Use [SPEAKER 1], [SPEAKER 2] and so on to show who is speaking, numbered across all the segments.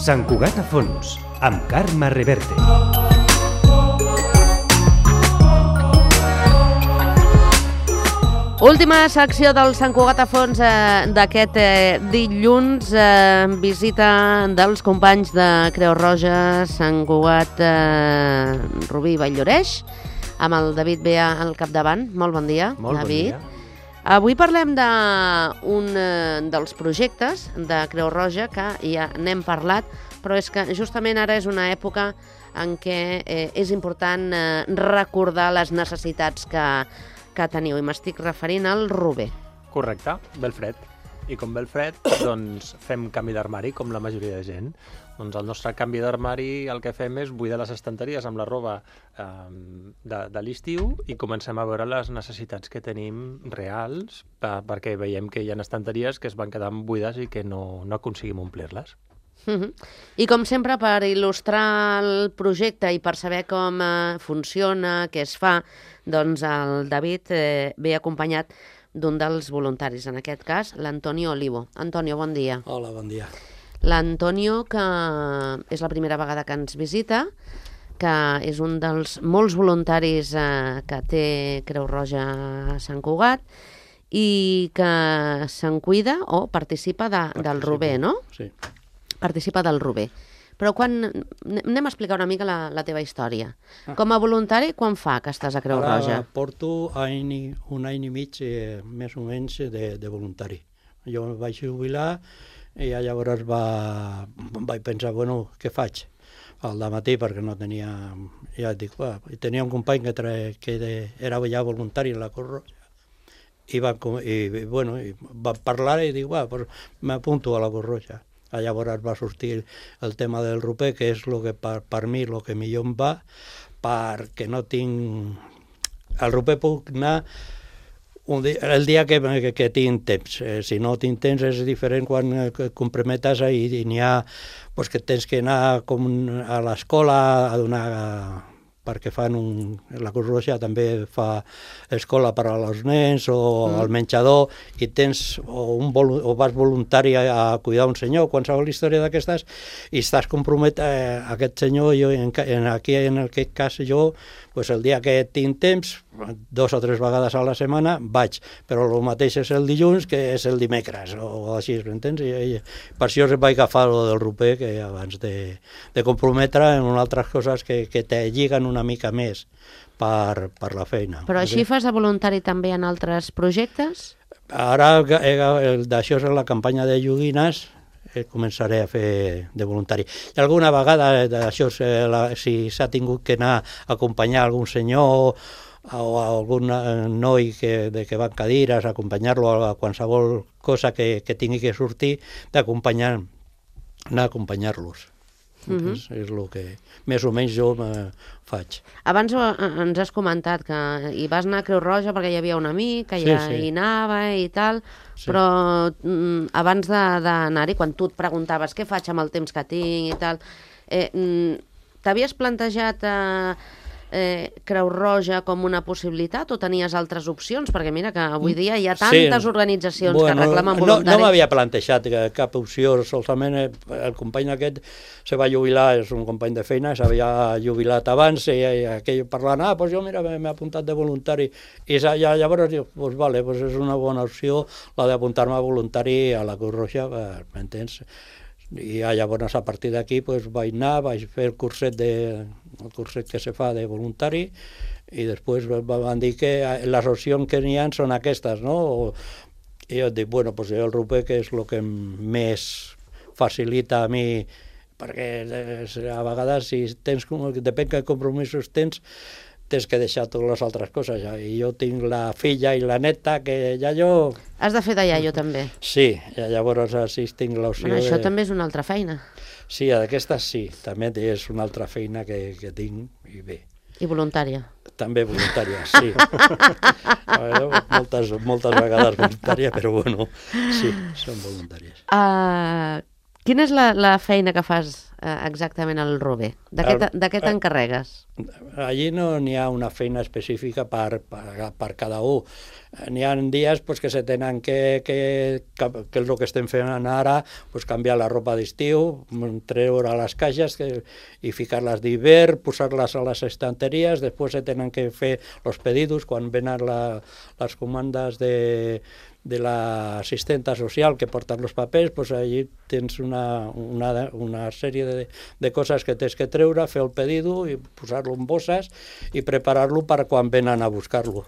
[SPEAKER 1] Sant Cugat a fons, amb Carme Reverte.
[SPEAKER 2] Última secció del Sant Cugat a fons d'aquest dilluns, visita dels companys de Creu Roja, Sant Cugat, Rubí i Vall-lloreix, amb el David Bea al capdavant. Molt bon dia,
[SPEAKER 3] Molt
[SPEAKER 2] David.
[SPEAKER 3] bon dia.
[SPEAKER 2] Avui parlem d'un dels projectes de Creu Roja que ja n'hem parlat, però és que justament ara és una època en què és important recordar les necessitats que teniu, i m'estic referint al Rober.
[SPEAKER 3] Correcte, ve el fred. I com ve el fred, doncs fem canvi d'armari, com la majoria de gent. Doncs el nostre canvi d'armari el que fem és buidar les estanteries amb la roba de l'estiu i comencem a veure les necessitats que tenim reals perquè veiem que hi ha estanteries que es van quedant buides i que no aconseguim omplir-les.
[SPEAKER 2] I com sempre, per il·lustrar el projecte i per saber com funciona, què es fa, doncs el David ve acompanyat d'un dels voluntaris, en aquest cas l'Antonio Olivo. Antonio, bon dia.
[SPEAKER 4] Hola, bon dia.
[SPEAKER 2] L'Antonio, que és la primera vegada que ens visita, que és un dels molts voluntaris que té Creu Roja a Sant Cugat i que se'n cuida o participa del Rober, no?
[SPEAKER 4] Sí.
[SPEAKER 2] Participa del Rober. Però anem a explicar una mica la teva història. Com a voluntari, quan fa que estàs a Creu Roja?
[SPEAKER 4] Ara porto un any i mig, més o menys, de voluntari. Jo em vaig jubilar i llavors vaig pensar, bueno, què faig? Al matí, perquè no tenia... Ja et dic, tenia un company que era ja voluntari a la Creu Roja i vam parlar i dic, m'apunto a la Creu Roja. Llavors va sortir el tema del Rober, que és el que per mi el que millor em va, perquè no tinc... Al Rober puc anar el dia que tinc temps. Si no tinc temps és diferent quan et comprometes i n'hi ha que tens que anar com a l'escola a donar... perquè la Creu Roja també fa escola per als nens o al menjador i tens o vas voluntari a cuidar un senyor, qualsevol història d'aquestes, i estàs compromet a aquest senyor. En aquest cas jo, el dia que tinc temps, 2 o 3 vegades a la setmana vaig, però el mateix és el dilluns que és el dimecres o així, m'entens? I per això vaig agafar el del Rober, que abans de comprometre en altres coses que te lliguen una mica més per la feina.
[SPEAKER 2] Però així fas de voluntari també en altres projectes?
[SPEAKER 4] Ara, d'això és la campanya de joguines, començaré a fer de voluntari. I alguna vegada, d'això, si s'ha tingut que anar a acompanyar algun senyor o algun noi que va en cadires, acompanyar-lo a qualsevol cosa que tingui que sortir, anar a acompanyar-los. És el que més o menys jo faig.
[SPEAKER 2] Abans ens has comentat que hi vas anar a Creu Roja perquè hi havia un amic que ja hi anava i tal, però abans d'anar-hi, quan tu et preguntaves què faig amb el temps que tinc i tal, t'havies plantejat Creu Roja com una possibilitat o tenies altres opcions? Perquè mira que avui dia hi ha tantes organitzacions que reclamen voluntaris.
[SPEAKER 4] No m'havia plantejat cap opció, solament el company aquest se va jubilar, és un company de feina, s'havia jubilat abans i aquell parlant, jo mira, m'he apuntat de voluntari, i llavors dic, vale, és una bona opció la d'apuntar-me voluntari a la Creu Roja, m'entens? I llavors a partir d'aquí vaig anar, vaig fer el curset que se fa de voluntari i després van dir que les opcions que n'hi ha són aquestes, no? I jo dic, el Rober, que és el que més facilita a mi, perquè a vegades depèn que compromisos tens que deixar totes les altres coses. I jo tinc la filla i la neta, que ja jo...
[SPEAKER 2] Has de fer de iaio, també.
[SPEAKER 4] Sí, llavors així tinc l'opció de...
[SPEAKER 2] Això també és una altra feina.
[SPEAKER 4] Sí, d'aquestes sí, també és una altra feina que tinc, i bé.
[SPEAKER 2] I voluntària.
[SPEAKER 4] També voluntària, sí. Moltes vegades voluntària, però sí, són voluntàries.
[SPEAKER 2] Quina és la feina que fas exactament al Rober, De què t'encarregues?
[SPEAKER 4] Allí no n'hi ha una feina específica per cada un. N'hi ha dies que se tenen que és el que estem fent ara, canviar la roba d'estiu, treure les caixes i ficar-les d'hivern, posar-les a les estanteries, després se tenen que fer els pedidos quan venen les comandes de l'assistenta social que porten els papers, allí tens una sèrie de coses que tens que treure, fer el pedido i posar-lo en bosses i preparar-lo per quan venen a buscar-lo.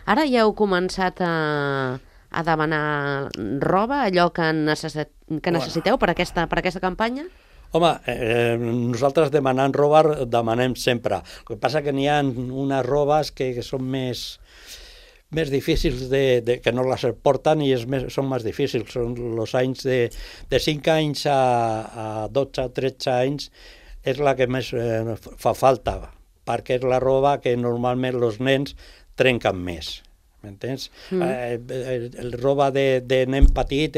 [SPEAKER 2] Ara ja heu començat a demanar roba, allò que necessiteu per aquesta campanya?
[SPEAKER 4] Home, nosaltres demanant roba demanem sempre. El que passa que n'hi ha unes robes que són més difícils que no les porten i són més difícils. Són els anys de 5 anys a 12 o 13 anys és la que més fa falta, perquè és la roba que normalment els nens trenquen més. M'entens? El roba de nen petit,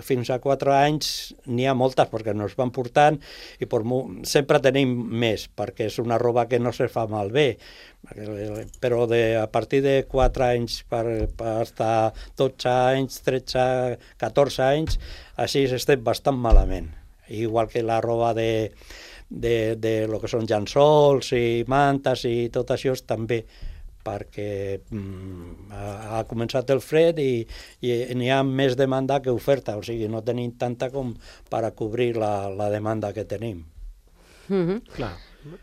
[SPEAKER 4] fins a 4 anys, n'hi ha moltes perquè no es van portant i sempre tenim més, perquè és una roba que no se fa malbé. Però a partir de 4 anys per estar 12 anys, 13, 14 anys, així estem bastant malament. Igual que la roba de lo que són llençols i mantes i tot això també, perquè ha començat el fred i n'hi ha més demanda que oferta, o sigui, no tenim tanta com per a cobrir la demanda que tenim.
[SPEAKER 3] Clar.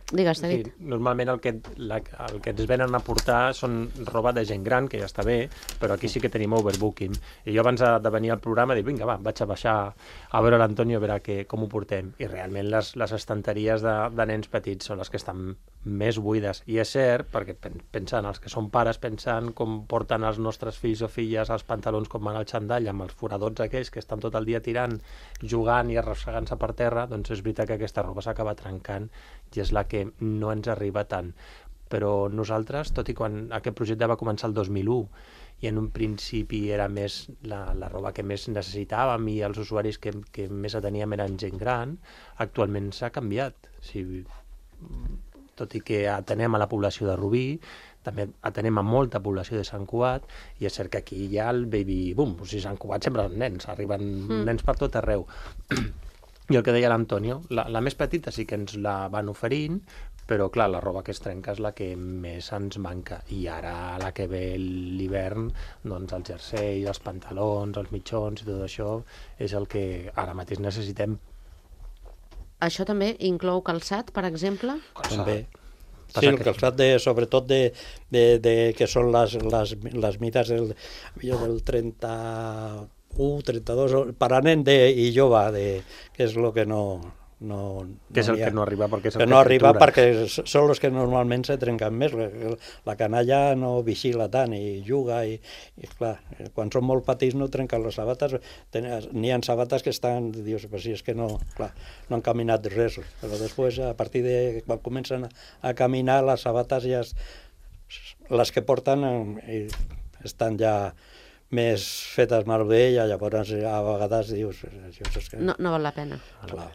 [SPEAKER 2] Digues, David.
[SPEAKER 3] Sí, normalment el que ens venen a portar són roba de gent gran, que ja està bé, però aquí sí que tenim overbooking. I jo abans de venir al programa dic, vinga, vaig a baixar a veure l'Antonio, a veure com ho portem. I realment les estanteries de nens petits són les que estan més buides. I és cert, perquè pensant, els que són pares, pensant com porten els nostres fills o filles els pantalons com van al xandall, amb els foradots aquells que estan tot el dia tirant, jugant i arrossegant-se per terra, doncs és veritat que aquesta roba s'acaba trencant i és la que no ens arriba tant. Però nosaltres, tot i quan aquest projecte va començar el 2001 i en un principi era més la roba que més necessitàvem i els usuaris que més ateníem eren gent gran, actualment s'ha canviat. Tot i que atenem a la població de Rubí, també atenem a molta població de Sant Cugat, i és cert que aquí hi ha el baby boom. O sigui, Sant Cugat sempre són nens, arriben nens per tot arreu. I el que deia l'Antonio, la més petita sí que ens la van oferint, però clar, la roba que es trenca és la que més ens manca. I ara, la que ve l'hivern, doncs el jersei, els pantalons, els mitjons i tot això és el que ara mateix necessitem.
[SPEAKER 2] Això també inclou calçat, per exemple?
[SPEAKER 4] També. Sí, el calçat sobretot que són les mides del 31, 32, per a nen i jove, que és el que no...
[SPEAKER 3] que és el que no arriba perquè és el
[SPEAKER 4] que no arriba perquè són els que normalment se trenquen més. La canalla no vigila tant i juga i clar, quan són molt petits no trenquen les sabates. N'hi ha sabates que estan, dius, si és que no han caminat res, però després a partir de quan comencen a caminar les sabates ja les que porten estan ja més fetes malbé i llavors a vegades dius...
[SPEAKER 2] No val la pena.
[SPEAKER 4] Clar,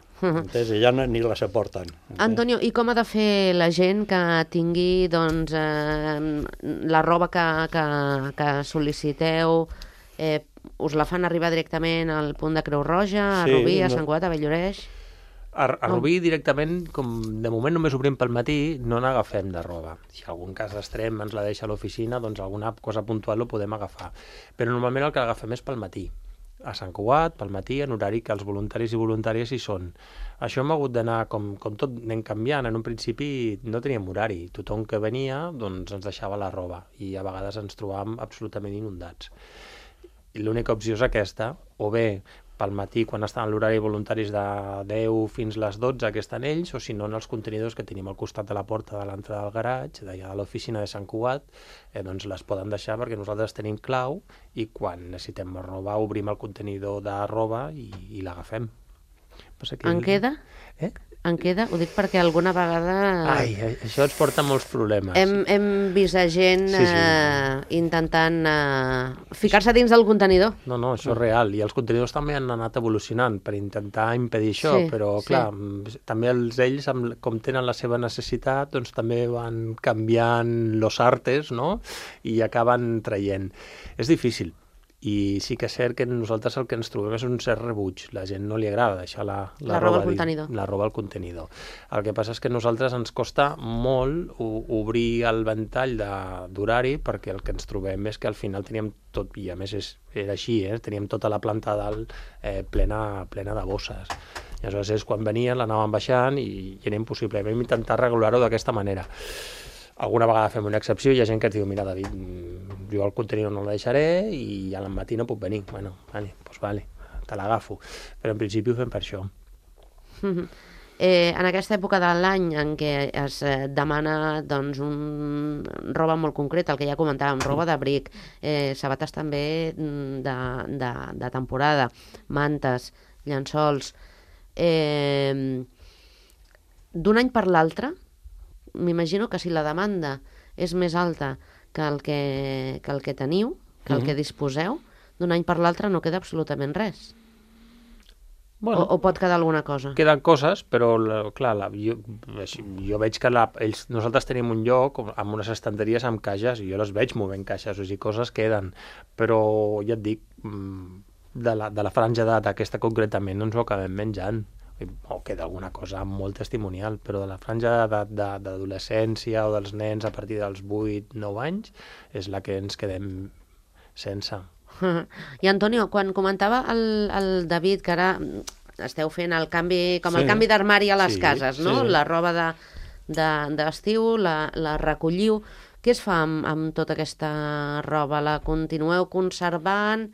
[SPEAKER 4] ja ni les aporten.
[SPEAKER 2] Antonio, i com ha de fer la gent que tingui la roba que sol·liciteu? Us la fan arribar directament al punt de Creu Roja, a Rubí, a Sant Cugat, a Bell-lloreix?
[SPEAKER 3] A Rubí directament, com de moment només obrim pel matí, no n'agafem de roba. Si algun cas d'extrem ens la deixa a l'oficina, doncs alguna cosa puntual ho podem agafar. Però normalment el que agafem és pel matí. A Sant Cugat, pel matí, en horari que els voluntaris i voluntàries hi són. Això hem hagut d'anar, com tot anem canviant. En un principi no teníem horari. Tothom que venia doncs ens deixava la roba i a vegades ens trobàvem absolutament inundats. I l'única opció és aquesta, o bé pel matí, quan estan a l'horari voluntaris de 10 fins les 12, que estan ells, o si no en els contenidors que tenim al costat de la porta de l'entrada del garatge, d'allà a l'oficina de Sant Cugat, doncs les poden deixar perquè nosaltres tenim clau i quan necessitem roba obrim el contenidor de roba i l'agafem.
[SPEAKER 2] En queda? En queda? Ho dic perquè alguna vegada...
[SPEAKER 3] Ai, això ens porta molts problemes.
[SPEAKER 2] Hem vist a gent intentant ficar-se dins del contenidor.
[SPEAKER 3] No, això és real. I els contenidors també han anat evolucionant per intentar impedir això, però clar, també ells, com tenen la seva necessitat, doncs també van canviant los artes, no? I acaben traient. És difícil. I sí que és cert que nosaltres el que ens trobem és un cert rebuig. La gent no li agrada deixar la roba al contenidor. El que passa és que a nosaltres ens costa molt obrir el ventall d'horari, perquè el que ens trobem és que al final teníem tot, i a més era així, teníem tota la planta dalt plena de bosses. I aleshores és quan venien, l'anàvem baixant i era impossible. Vam intentar regular-ho d'aquesta manera. Alguna vegada fem una excepció i hi ha gent que ens diu, mira, David, jo el contenidor no el deixaré i al matí no puc venir. Bueno, vale, te l'agafo. Però en principi ho fem per això.
[SPEAKER 2] En aquesta època de l'any en què es demana roba molt concreta, el que ja comentàvem, roba d'abric, sabates també de temporada, mantes, llençols... D'un any per l'altre, m'imagino que si la demanda és més alta que el que teniu, que el que disposeu, d'un any per l'altre no queda absolutament res. Bueno, o pot quedar alguna cosa?
[SPEAKER 3] Queden coses, però clar, jo veig que nosaltres tenim un lloc amb unes estanteries amb caixes i jo les veig movent caixes, o sigui, coses queden, però ja et dic, de la franja d'edat aquesta concretament no ens ho acabem menjant. O queda alguna cosa molt testimonial, però de la franja d'adolescència o dels nens a partir dels 8-9 anys és la que ens quedem sense.
[SPEAKER 2] I Antonio, quan comentava el David que ara esteu fent el canvi, com el canvi d'armari a les cases, no? La roba d'estiu, la recolliu. Què es fa amb tota aquesta roba? La continueu conservant?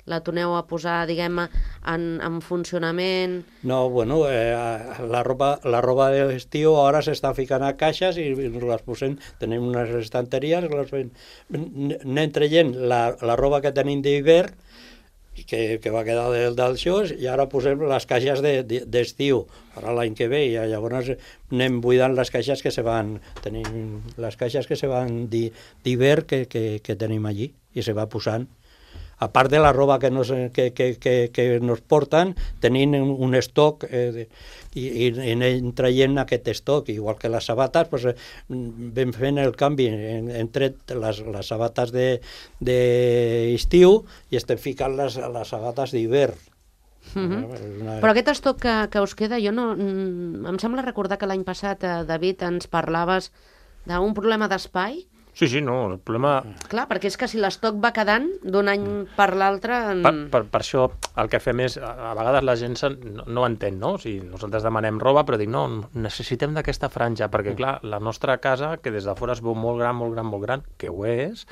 [SPEAKER 2] La torneu a posar, diguem-ne, en funcionament?
[SPEAKER 4] No, bueno, la roba d'estiu ara s'està ficant a caixes i les posem, tenim unes estanteries, anem traient la roba que tenim d'hivern, que va quedar del xos, i ara posem les caixes d'estiu, ara l'any que ve, i llavors anem buidant les caixes que se van, tenim les caixes que se van d'hivern que tenim allí, i se va posant. A part de la roba que nos porten, tenim un estoc i anem traient aquest estoc, igual que les sabates, vam fent el canvi, hem tret les sabates d'estiu i estem ficant les sabates d'hivern.
[SPEAKER 2] Però aquest estoc que us queda, em sembla recordar que l'any passat, David, ens parlaves d'un problema d'espai.
[SPEAKER 3] Sí, no, el problema...
[SPEAKER 2] Clar, perquè és que si l'estoc va quedant d'un any per l'altre...
[SPEAKER 3] Per això el que fem és, a vegades la gent no entén, no? O sigui, nosaltres demanem roba, però dic, no, necessitem d'aquesta franja, perquè clar, la nostra casa, que des de fora es veu molt gran, que ho és,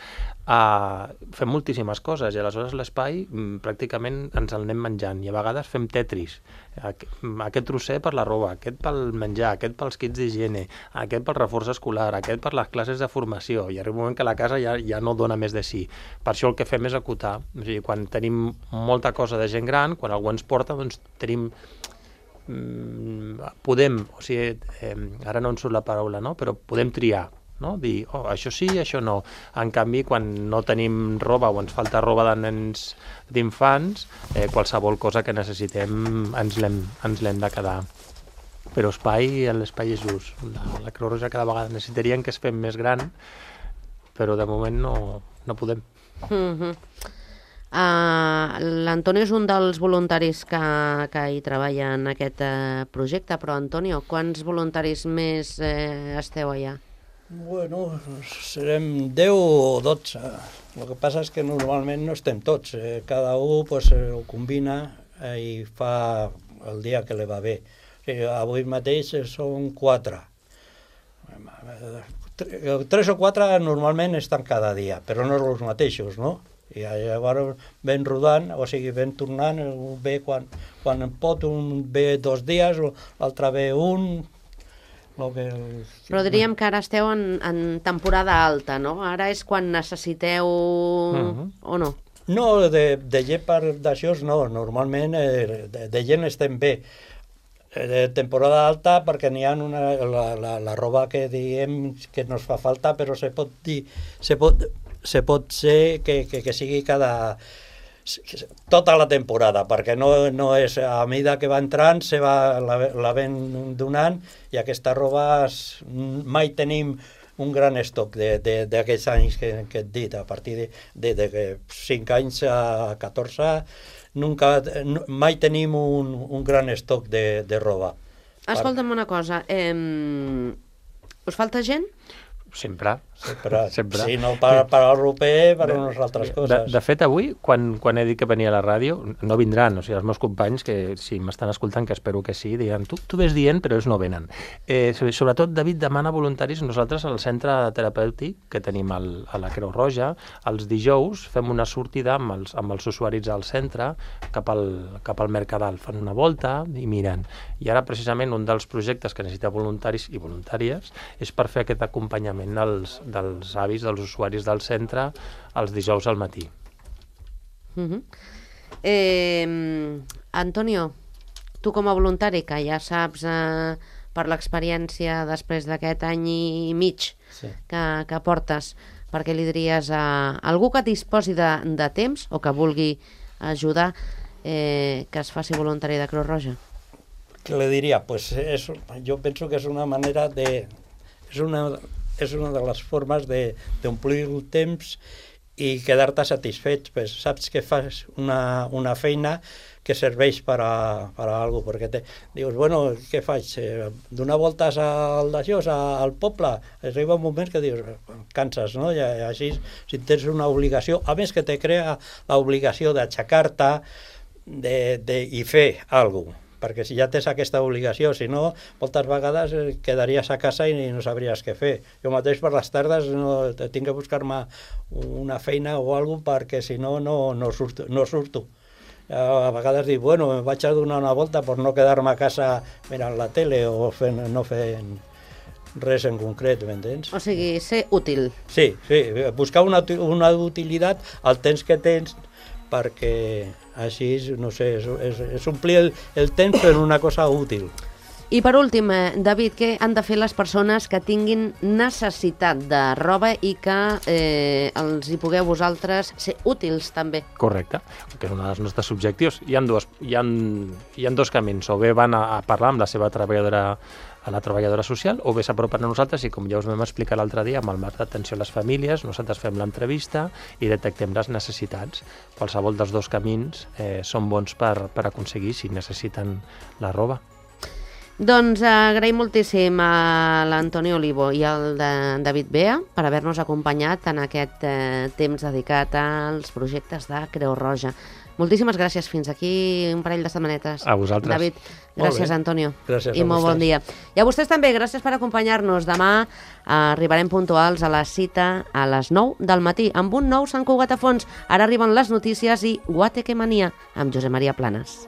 [SPEAKER 3] fem moltíssimes coses, i aleshores l'espai pràcticament ens el anem menjant, i a vegades fem tetris. Aquest trosser per la roba, aquest pel menjar, aquest pels kits d'higiene, aquest pel reforç escolar, aquest per les classes de formació, i arriba un moment que la casa ja no dona més de si. Per això el que fem és acotar. O sigui, quan tenim molta cosa de gent gran, quan algú ens porta, doncs tenim... podem, o sigui, ara no em surt la paraula, no? Però podem triar, no? Dir, això sí, això no. En canvi, quan no tenim roba o ens falta roba de nens d'infants, qualsevol cosa que necessitem ens l'hem de quedar. Però l'espai és just. La Creu Roja cada vegada necessitarien que es fem més gran, però de moment no podem.
[SPEAKER 2] L'Antonio és un dels voluntaris que hi treballa en aquest projecte, però Antonio, quants voluntaris més esteu allà?
[SPEAKER 4] Bueno, serem 10 o 12. El que passa és que normalment no estem tots. Cada un ho combina i fa el dia que li va bé. Avui mateix són 4. 3 o 4 normalment estan cada dia, però no els mateixos, no? I llavors ven rodant, o sigui, ven tornant, un ve quan pot, un ve 2 dies, l'altre ve un...
[SPEAKER 2] Però diríem que ara esteu en temporada alta, no? Ara és quan necessiteu o no?
[SPEAKER 4] No, de gent per d'això no, normalment de gent estem bé. Temporada alta perquè n'hi ha la roba que diem que nos fa falta, però se pot ser que sigui tota la temporada, perquè no és a mida que va entrant, la ven donant, i aquesta roba mai tenim un gran estoc d'aquests anys que et dit, a partir de 5 anys a 14, mai tenim un gran estoc de roba.
[SPEAKER 2] Escolta'm una cosa, us falta gent?
[SPEAKER 3] Sempre.
[SPEAKER 4] Si no per al roper, per unes altres coses.
[SPEAKER 3] De fet, avui, quan he dit que venia a la ràdio, no vindran, o sigui, els meus companys, que si m'estan escoltant, que espero que sí, diran, tu ves dient, però ells no venen. Sobretot, David demana voluntaris. Nosaltres, al centre terapèutic que tenim a la Creu Roja, els dijous fem una sortida amb els usuaris al centre cap al Mercadal. Fan una volta i miren. I ara, precisament, un dels projectes que necessita voluntaris i voluntàries és per fer aquest acompanyament dels avis, dels usuaris del centre, els dijous al matí.
[SPEAKER 2] Antonio, tu com a voluntari, que ja saps per l'experiència després d'aquest any i mig que portes, per què li diries a algú que disposi de temps o que vulgui ajudar que es faci voluntari de Creu Roja?
[SPEAKER 4] Què li diria? Pues jo penso que és una manera és una de les formes d'omplir el temps i quedar-te satisfet. Pues saps que fas una feina que serveix per a alguna cosa, perquè dius, bueno, què faig? Donar voltes al poble? Arriba un moment que dius, canses, no? I així, si tens una obligació, a més que te crea l'obligació d'aixecar-te i fer alguna cosa, perquè si ja tens aquesta obligació, si no, moltes vegades quedaries a casa i no sabries què fer. Jo mateix per les tardes tinc que buscar-me una feina o alguna cosa, perquè si no, no surto. A vegades dic, bueno, em vaig a donar una volta per no quedar-me a casa mirant la tele o no fent res en concret, m'entens?
[SPEAKER 2] O sigui, ser útil.
[SPEAKER 4] Sí, buscar una utilitat al temps que tens, perquè així, no sé, és omplir el temps per una cosa útil.
[SPEAKER 2] I per últim, David, què han de fer les persones que tinguin necessitat de roba i que els hi pugueu vosaltres ser útils també?
[SPEAKER 3] Correcte, que és un dels nostres objectius. Hi ha dos camins, o bé van a parlar amb la seva treballadora social, o bé s'apropen a nosaltres i, com ja us vam explicar l'altre dia, amb el marc d'atenció a les famílies, nosaltres fem l'entrevista i detectem les necessitats. Qualsevol dels dos camins són bons per aconseguir si necessiten la roba.
[SPEAKER 2] Doncs agraïm moltíssim a l'Antoni Olivo i al David Bea per haver-nos acompanyat en aquest temps dedicat als projectes de Creu Roja. Moltíssimes gràcies. Fins aquí un parell de setmanetes.
[SPEAKER 3] A vosaltres.
[SPEAKER 2] David, gràcies, Antonio.
[SPEAKER 4] Gràcies
[SPEAKER 2] i molt bon dia. I a vostès també, gràcies per acompanyar-nos. Demà arribarem puntuals a la cita a les 9 del matí amb un nou Sant Cugat a fons. Ara arriben les notícies i Guateque Mania amb Josep Maria Planes.